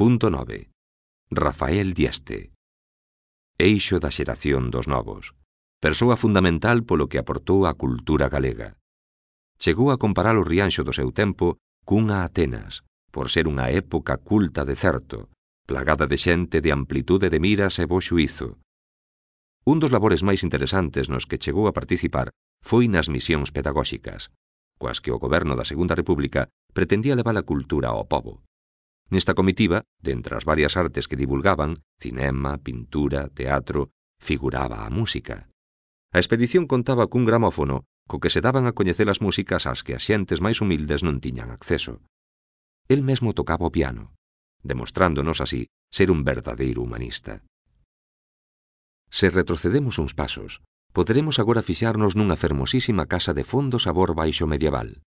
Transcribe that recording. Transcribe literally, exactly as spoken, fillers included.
Punto nove. Rafael Dieste. Eixo da xeración dos novos. Persoa fundamental polo que aportou á cultura galega. Chegou a comparar o Rianxo do seu tempo cunha Atenas, por ser unha época culta de certo, plagada de xente de amplitude de miras e bo xuízo. Un dos labores máis interesantes nos que chegou a participar foi nas misións pedagóxicas, coas que o goberno da Segunda República pretendía levar a cultura ao pobo. Nesta comitiva, dentre as varias artes que divulgaban, cinema, pintura, teatro, figuraba a música. A expedición contaba cun gramófono co que se daban a coñecer as músicas ás que as xentes máis humildes non tiñan acceso. El mesmo tocaba o piano, demostrándonos así ser un verdadeiro humanista. Se retrocedemos uns pasos, poderemos agora fixarnos nunha fermosísima casa de fondo sabor baixo medieval.